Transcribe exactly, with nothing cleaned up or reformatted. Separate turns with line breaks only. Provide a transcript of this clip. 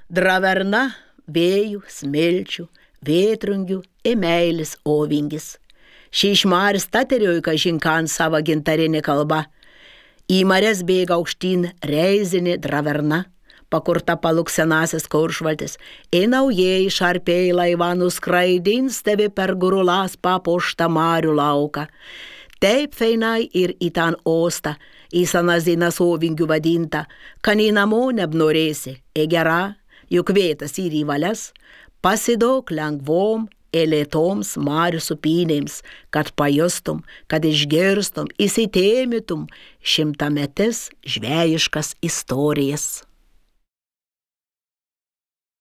Draverna, vėjų, smilčių, vėtrungių, emeilis, ovingis. Ši išmaris taterioj kažinkan savo gintarinį kalbą. Į mares bėga aukštyn reizinė draverna, pakurta paluk senasis Kuršvaltis. Į naujieji šarpiai laivanų skraidins tevi per gurulas papuoštą marių lauką. Taip feinai ir į ten ostą, į sanazinas ovingių vadinta, kan į namo nebnorėsi, į gerą, juk vietas ir į valias, pasidok lengvom, elėtoms marių supynėms, kad pajustum, kad išgirstum, įsitėmytum šimtametis žvejiškas istorijas.